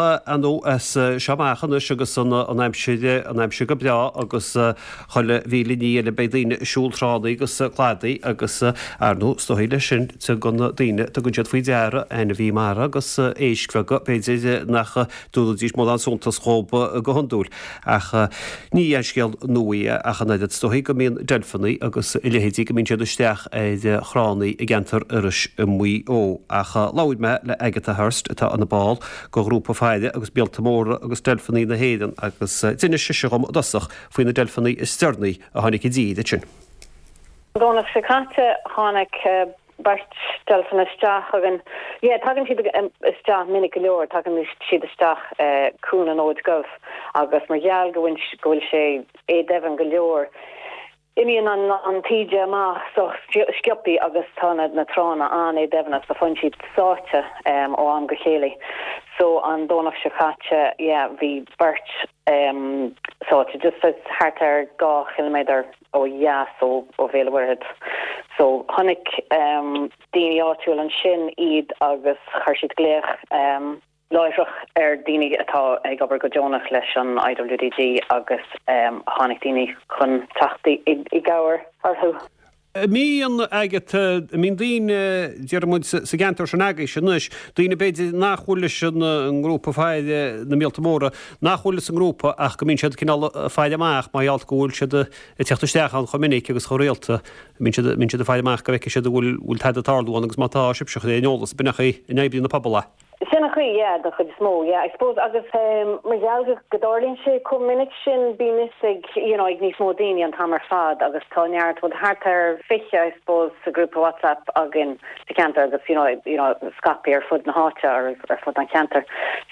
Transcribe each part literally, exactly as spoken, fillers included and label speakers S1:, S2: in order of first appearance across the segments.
S1: Ar ndóigh as seo amach anois agus an aimsir an aimsir go breá agus chuile mhíle ní eile beidh daoine ag siúl tránna agus cladaí agus ar ndóigh is dóigh leis sin tugann daoine tugann siad faoi deara ainmhí mara agus éisc bheaga b'fhéidir nach dtabharfaidís mórán suntas dhóibh go hiondúil ach ní aon scéal nua é ach an oiread is dóigh go mbíonn deilfeanna agus a leithéidí go mbíonn siad isteach ar thránna i gceantar Iorrais i Maigh Eo ach labhair mé le Agatha Hurst atá ina ball de ghrúpa faire agus míolta móra agus deilfeanna na hÉireann agus d'inis sise dhom i dtosach faoi na deilfeanna is deireanaí a tháinig i dtír ansin.
S2: Domhnach seo caite tháinig beirt deilfeanna isteach againn. Yeah, tagann siad isteach minic go leor, tagann siad isteach Cuan an Fhóid Dhuibh agus mar gheall go go bhfuil sé éadoimhin go leor. Imíonn an an taoide amach so sciobtha agus tá na na tránna an-éadoimhin so faigheann siad sáite um, ó am go chéile. So an Domhnach seo caite yeah, bhí beirt um, sáite just thart ar dhá kilometer ó dheas ó ó Bhéal an Mhuirthead. So tháinig um, daoine áitiúil ansin iad agus chuir siad glaoch um, láithreach ar daoine atá ag obair go deonach leis an I W D G agus um, tháinig daoine chun teacht i gcabhair orthu.
S1: Mbíonn agat mbíonn daoine deir sa gceantar sin agaibh anois, daoine b'fhéidir nach bhfuil leis an ngrúpa faire na míolta móra nach bhfuil sa ngrúpa ach go mbíonn siad cineál faire amach mar gheall go bhfuil siad ag teacht isteach ann chomh minic agus chomh rialta mbíonn siad mbíonn siad faire amach go bhfeicfidh siad bhfuil bhfuil tada ag tarlú ann agus má tá sibhse ar an eolas b'in é in oibrí na pobal.
S2: Sin an chaoi yeah, den chuid is mó yeah, I suppose agus um, mar gheall go dtarlaíonn sé chomh minic sin bíonn fhios ag you know, ag níos mó daoine an t-am ar fad agus tá neart rud thart ar fiche I suppose sa grúpa WhatsApp againn sa cheantar agus you know, you know, scaipthe ar fud na háite ar ar fud an cheantar.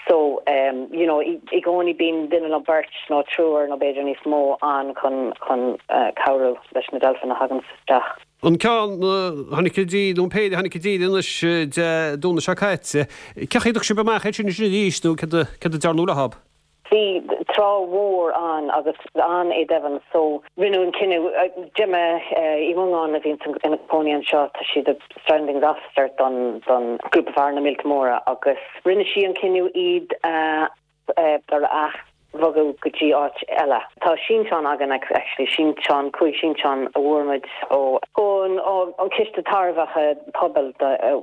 S2: So um, you know, i i gcónaí bíonn duine nó beirt nó triúr nó b'fhéidir níos mó an chun chun uh, cabhrú leis na deilfeanna a thagann isteach.
S1: An ceann tháinig i dtír nó péire tháinig i dtír anois Dé Domhnaigh seo caite. Cén chaoi a dtug sibh amach é sin sin arís nó cad a dearnadh leo?
S2: Bhí trá mhór an agus an-éadoimhin so rinneadh an cinneadh Gemma Uí Mhongáin a bhíonn ina cónaí anseo tá sí the stranding officer don don grúpa faire na míolta móra agus rinne sí an cinneadh iad uh, uh, a bhogadh go dtí áit eile. Tá sínteán againn actually sínteán cúig sínteán a bhfuair muid ó ón an ciste tairbheacha pobail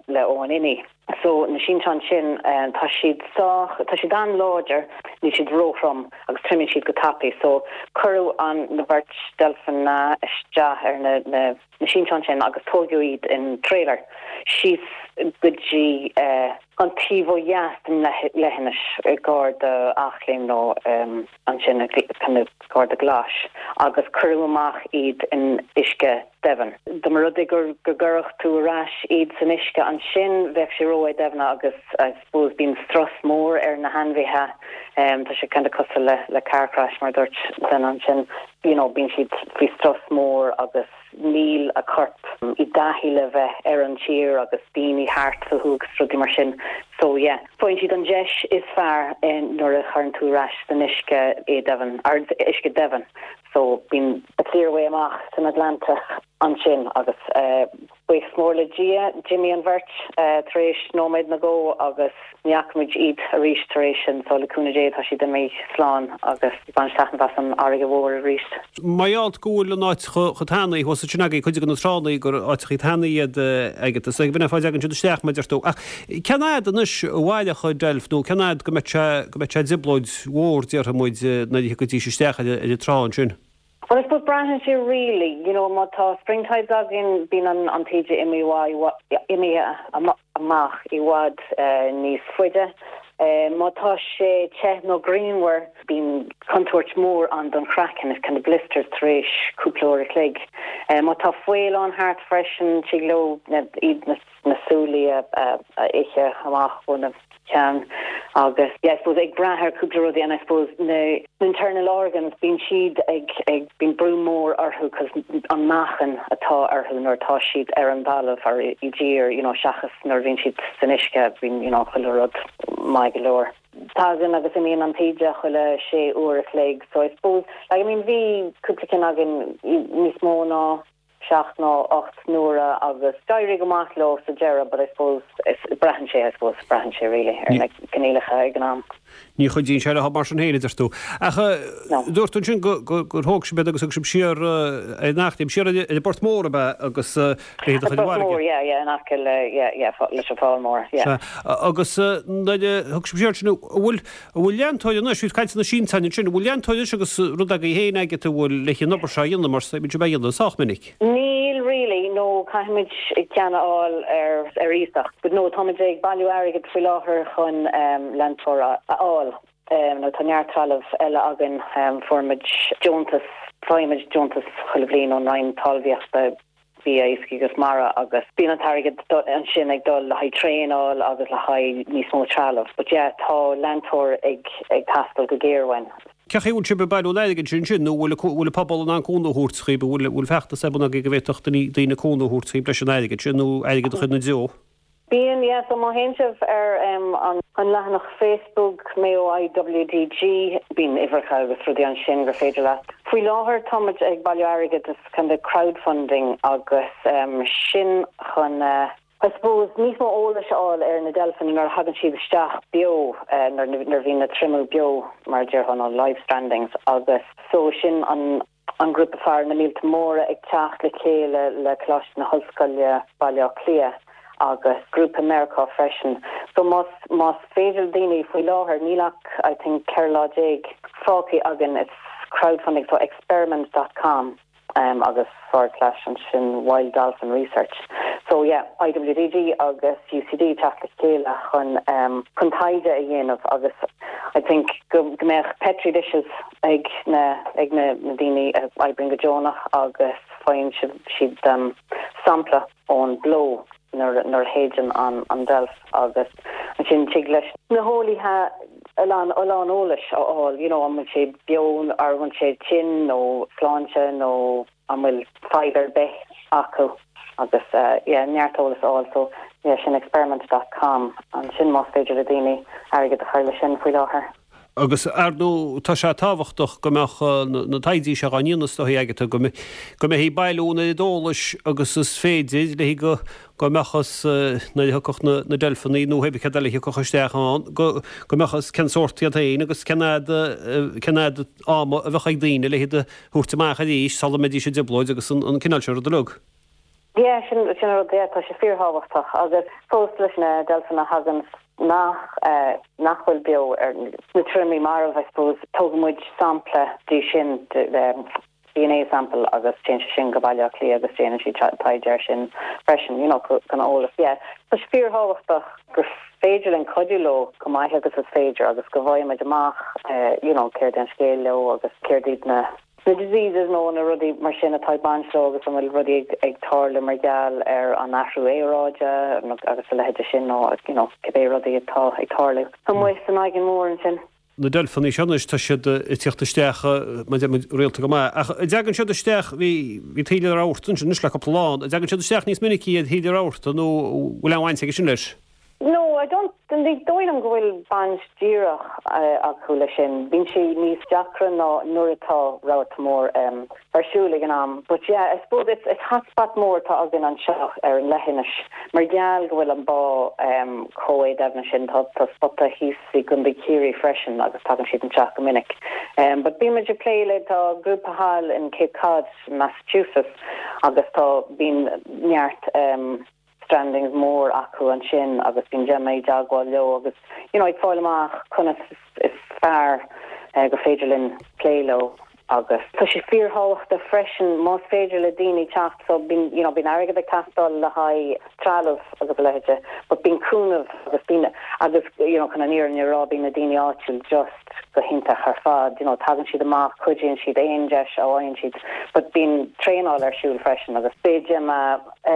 S2: le O N I. So na sínteán sin um, tá siad sách tá siad an-láidir níl siad róthrom agus triomaíonn siad go tapaidh, so cuireadh an na beirt deilfeanna isteach ar na, na, na sínteán sin agus tógadh iad in trailer síos go dtí uh, an taobh ó dheas den leithinis i gar d'Eachléim nó um, ansin gar do Ghlais agus cuireadh amach iad in uisce doimhin. Dá mba rud é gur go gcuirfeadh tú ar ais iad san uisce ansin bheadh sé ró-éadoimhin agus I suppose bíonn strus mór ar na hainmhithe um, tá sé kind of cosúil le le car crash mar dúirt den ansin you know, bíonn siad faoi strus mór agus níl a corp i dtaithí le bheith ar an tír agus daoine thart fúthu agus rudaí mar sin so yeah faigheann siad an deis is fearr nuair a chuireann tú ar ais san uisce éadoimhin ar uisce doimhin so bíonn a clear way amach san Atlantach ansin agus uh, buíochas mór le Dia d'imigh an bheirt uh, tar éis nóiméad nó dhó agus ní fhaca muid iad arís tar éis sin so le cúnamh Dé tá siad imithe slán agus bain taitneamh as an fharraige mhór arís.
S1: Maiáil go bhfuil an áit chomh tanaí thuas ansin agaibh cuid de na tránna gur áiteacha tanaí iad agat is ag b'in fáth a dtagann siad isteach mar deir tú. Ach cén fhad anois a mhairfeadh deilf nó cén fhad go mbeadh sé go mbeadh sé i dtrioblóid mhór déarfaidh muid nuair a thiocfaidís isteach ar ar an trá ansin.
S2: Well, I suppose braitheann sé really, you know, má tá spring tides againn bíonn an an taoide imithe amach i bhfad uh, níos faide. Uh, má tá sé te nó grianmhar bíonn contúirt mór ann don chraiceann is kind of blisters tar éis cúpla uair a chloig. Uh, má tá faol ann thart freisin tig leo iad na, na súile a, a, a ithe amach ó na ceann agus yeah, I suppose ag brath ar cúpla rudaí and I suppose na internal organs bíonn siad ag ag bíonn brú mór orthu cos an meáchan atá orthu nuair atá siad ar an talamh ar i dtír you know seachas nuair bhíonn siad san uisce bíonn you know chuile rud maith go leor. Tagann agus imíonn an taoide chuile sé uair a chloig so I suppose like, I mean bhí cúpla ceann againn níos mó ná seacht nó ocht n-uaire agus d'éirigh go maith leo sa deireadh, but I suppose braitheann sé I suppose braitheann sé really ar na coinníollacha ag an am.
S1: Ní chuidíonn sé leo mar sin féin, a deir tú. Ach dúirt tú ansin gur thóg sibh iad agus thug sibh siar ar an Eachléim, siar ar an bPort Mór ab ea agus le iad a chur i
S2: bhfarraige. Port Mór, yeah, yeah, in aice le, yeah, yeah, leis an Fál Mór, yeah.
S1: Agus nuair a thug sibh siar sin, an bhfuil, an bhfuil leantóir anois, bhí caint ar na sínteáin ansin, an bhfuil leantóir anois agus rud agaibh féin agat a bhfuil le an obair seo a dhéanamh mar bíonn sibh á dhéanamh sách minic?
S2: Níl really, no, caithfimid ceann a fháil ar ar iasacht. But no, táimid ag bailiú airgid faoi láthair chun leantóir a fháil. Nó tá neart trealamh eile againn, fuair muid deontas, faighimid deontas chuile bhliain ón Roinn Talmhaíochta, Bia, Iascaigh agus Mara agus bíonn an t-airgead ansin ag dul le haghaidh traenáil agus le haghaidh níos mó trealamh. But yeah, tá leantóir ag ag teastáil go géar uainn.
S1: Cén chaoi a bhfuil sibh ag bailiú an airgid sin ansin nó bhfuil bhfuil an pobal in ann cúnamh a thabhairt dhaoibh, bhfuil bhfuil feachtas ar bun agaibh go bhféadfadh daoine daoine cúnamh a thabhairt dhaoibh leis an airgead sin nó airgead a chur ina dtreo?
S2: Bíonn, yeah, so má théann sibh ar an an leathanach Facebook Mayo IWDG, bíonn uimhreacha agus rudaí ansin gur féidir leat. Faoi láthair táimid ag bailiú airgid, is kind of crowdfunding agus sin chun I suppose níos mó eolais a fháil ar na deilfeanna nuair a thagann siad isteach beo, nuair nuair a bhíonn na triomú beo mar a déarfá nó live strandings agus so sin an an grúpa Faire na Míolta Móra ag teacht le chéile le Coláiste na hOllscoile Baile Átha Cliath agus grúpa Meiriceá freisin. So más más féidir le daoine faoi láthair níl ach I think ceithre lá déag fágtha againn it's crowdfunding so experiment dot com um agus forward slash ansin wild dolphin research. So yeah IWDG agus UCD teacht le chéile chun um chun taighde a dhéanamh agus I think go go mbeadh petri dishes ag na ag na na daoine a oibríonn go deonach agus faigheann siad siad um sampla ón bpló nuair nuair a théann an an deilf agus ansin tig leis na heolaithe a lán a lán eolais a fháil you know an bhfuil sé beo ar an bhfuil sé tinn nó sláinte nó an bhfuil fadhb ar bith acu agus uh, yeah, neart eolas a fháil so yeah, sin experiment dot com ansin más féidir le daoine airgead a chur leis sin faoi láthair.
S1: Agus ar ndóigh tá sé tábhachtach go mbeadh na taighde seo á ndéanamh is dóigh agat go mbeifí ag bailiú an oiread eolais agus is féidir le go go mbeadh fhios nuair a thiocfadh na deilfeanna nó pé céard eile a thiocfadh isteach ann go go mbeadh fhios cén sórt iad féin agus cén fhad cén fhad ama a bheadh ag daoine le hiad a thabhairt amach arís sula mbeidís i dtrioblóid agus an cineál seo rud uilig.
S2: Yeah, sin sin an rud, yeah, tá sé fíorthábhachtach agus fós leis na deilfeanna a thagann nach eh, nach bhfuil beo ar na triomaigh marbh, I suppose, tógann muid sampla de sin, de, de, DNA sample agus téann sé sin go Baile Átha Cliath agus déanann siad taighde air sin freisin, you know, chun eolas. Yeah, tá sé fíorthábhachtach gur féidir linn cuidiú leo chomh maith agus is féidir agus go bhfaighidh muid amach, eh, you know, céard é an scéal leo agus céard iad na na diseases nó na rudaí mar sin atá ag baint leo agus an bhfuil rudaí ag, ag tarlú mar gheall ar an athrú aeráide agus a leithéid sin nó you know, cibé rudaí atá ag tarlú. Amuigh san aigéan mór ansin.
S1: Na deilfeanna seo anois tá siad ag tíocht isteach mar a deir muid rialta go maith. Ach an dtagann siad isteach, bhí bhí taoille rabharta ansin anois le cúpla lá, an dtagann siad isteach níos minicí ar thaoille rabharta nó bhfuil aon bhaint aige sin leis?
S2: No, I don't, ní dóigh liom go bhfuil baint díreach acu leis sin. Bíonn sé níos deacra ná nuair atá rabharta mór ar siúl ag an am. But yeah, I suppose it's, it's hotspot mór atá againn anseo ar an leithinis. Mar gheall go bhfuil an bá chomh héadoimhne sin, tá tá spota thíos i gContae Chiarraí freisin agus tagann siad anseo go minic. But bíonn muid ag plé le, tá grúpa thall in Cape Cod, Massachusetts agus tá, bíonn neart strandings mór acu ansin agus bíonn Gemma i dteagmháil leo agus you know ag fáil amach conas is fearr eh, gur féidir linn plé leo agus tá sé fíorthábhachtach freisin más féidir le daoine teacht so bíonn you know bíonn airgead ag teastáil le haghaidh trealamh agus a leithéide but bíonn cúnamh agus bíonn agus you know chun an fhírinne a rá bíonn na daoine áitiúil just go hiontach ar fad you know tagann siad amach cuidíonn siad aon deis a fhaigheann siad but bíonn traenáil ar siúl freisin agus beidh Gemma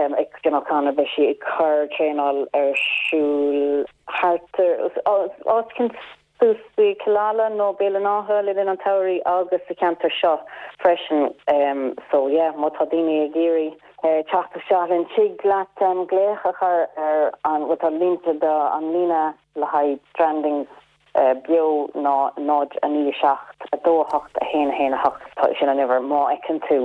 S2: um, ag Gemma O'Connor beidh sí ag cur traenáil ar siúl thart ar áit éicint suas i Killala nó Béal an Átha le linn an tsamhraidh agus sa cheantar seo freisin um, so yeah má tá daoine ag iarraidh eh, teacht isteach linn tig leat um, glaoch a chur ar an bhfuil tá línte de an líne le haghaidh strandings eh, beo ná náid a naoi seacht a dó a hocht a haon a haon a hocht tá sin an uimhir má fheiceann tú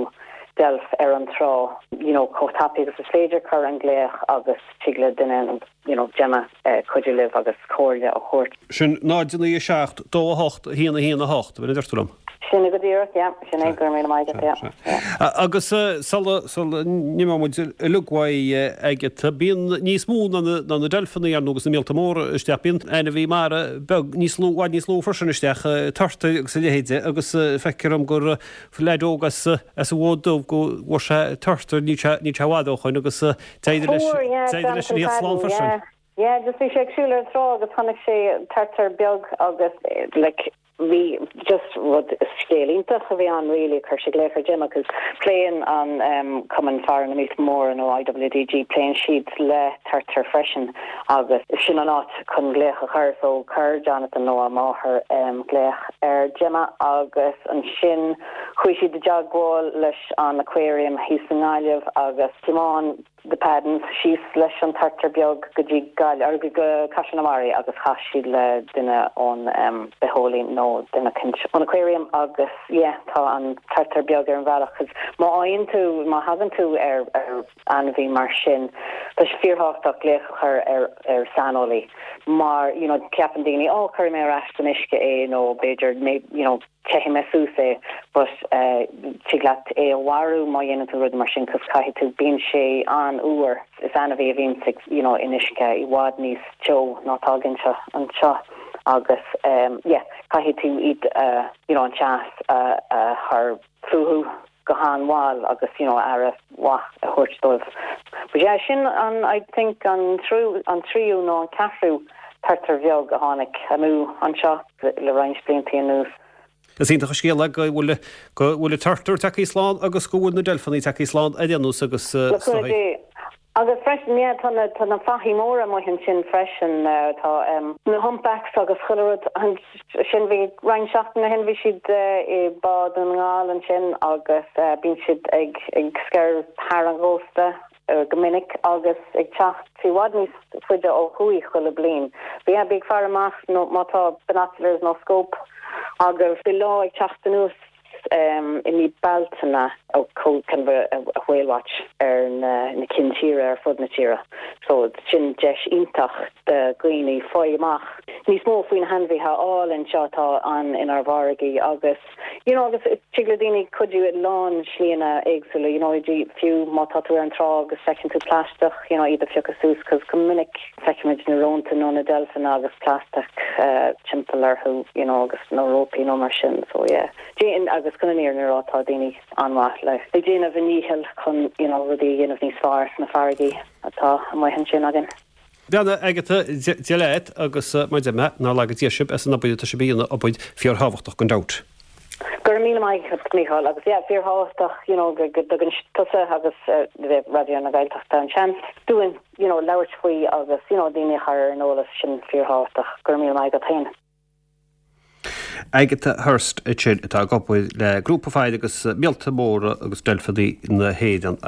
S2: deilf ar an trá you know chomh tapaidh agus is féidir cuir an glaoch agus tig le duine you know Gemma uh, cuidiú libh agus comhairle a thabhairt.
S1: Sin náid naoi seacht dó a hocht haon haon a hocht, bhí deirtúlam.
S2: Sin go díreach sin é go mé
S1: Agus sula n-imeoidh muid uilig Agatha bíonn níos mó ná na deilfeanna ar agus na míolta móra isteach bíonn ainmhithe mara beag níos lú níos lú freisin isteach turtair agus a leithéide agus feictear dom gur leaid óg as as an bhFód Dubh go bhfuair sé turtar ní ní i bhfad ó shin agus leis leis an slán freisin.
S2: Yeah, just bhí sé ag siúl ar trá agus chonaic sé turtar beag agus like bhí just rud scéal iontach a bhí an really chuir sé glaoch ar Gemma cos pléann an um, Cumann Faire na Míolta Móra nó IWDG pléann siad le turtair freisin agus sin an áit chun glaoch a chur so chuir Jonathan nó a máthair um, glaoch ar Gemma agus ansin chuaigh siad i dteagmháil leis an aquarium thíos i nGaillimh agus thiomáin the Paddens síos leis an turtar beag go dtí Gail ar go Caiseal na Mara agus chas siad le duine ón um, bitheolaí nó duine ón aquarium agus yeah, tá an turtar beag ar an bhealach má fhaigheann tú má thagann tú ar ar ainmhí mar sin Tá sé fíorthábhachtach glaoch a chur ar ar saineolaí mar you know ceapann daoine ó chuir mé ar ais san uisce é nó b'fhéidir you know teithfidh mé suas é but uh, tig leat é a mharú má dhéanann tú rud mar sin cos caithfidh tú bíonn sé an-fhuar is ainmhí a bhíonn you know in uisce i bhfad níos teo ná tá anseo anseo agus um, yeah, caithfidh tú iad uh, you know, an teas uh, uh, chur fúthu go han-mhall agus you know aire mhaith a thabhairt dóibh. But yeah, sin an I think an trú an tríú nó an ceathrú turtar bheag a tháinig amú anseo le roinnt blianta anuas.
S1: Is iontach an scéal go bhfuil go bhfuil turtar tagtha slán agus go bhfuil na deilfeanna tagtha slán ar aon nós agus
S2: Agus freisin yeah, tá na tá na fathaigh móra amuigh ansin freisin uh, tá um, na humpbacks agus chuile rud sin bhí roinnt seachtainí ó shin bhí siad uh, i Bá Dhún na nGall ansin agus uh, bíonn siad ag ag sciorradh thar an gcósta uh, go minic agus ag teacht i bhfad níos faide ó thuaidh chuile bliain. Bhí bí fear amach nó má tá binoculars nó scope agus bhí lá ag teacht anuas um, i mí Bealtaine ó kind of a, a whale watch ar na, na cinn tíre ar fud na tíre. So sin deis iontach do dhaoine fáil amach. Níos mó faoin hainmhithe álainn seo atá an inár bhfarraigí agus you know, agus tig le daoine cuidiú i lán slíanna éagsúla, you know, fiú má tá tú ar an trá agus feiceann tú plaisteach, you know, iad a phiocadh suas, cos go minic feicimid na rónta nó na deilfeanna agus plaisteach uh, timpeall orthu, you know, agus nó rópaí nó mar sin, so yeah. Déan agus chun an ar tá daoine an-mhaith le. Le déanamh a ndícheall chun you know, rudaí dhéanamh níos fearr sna farraigí atá amuigh ansin againn.
S1: Beanna Agatha Dia leat agus mar me ná le dé sib as an obair tá sibh a dhéanamh obair fíorthábhachtach gan dabht.
S2: Gur mí Michael agus yeah, fíorthábhachtach you know, go dtugann tusa agus uh, Raidió na Gaeltachta an seans dúinn you know, labhairt faoi agus you know, daoine a chur ar an eolas sin fíorthábhachtach gur mí go féin.
S1: Agatha Hurst sin atá ag obair le grúpa faire agus míolta móra agus deilfeanna na hÉireann.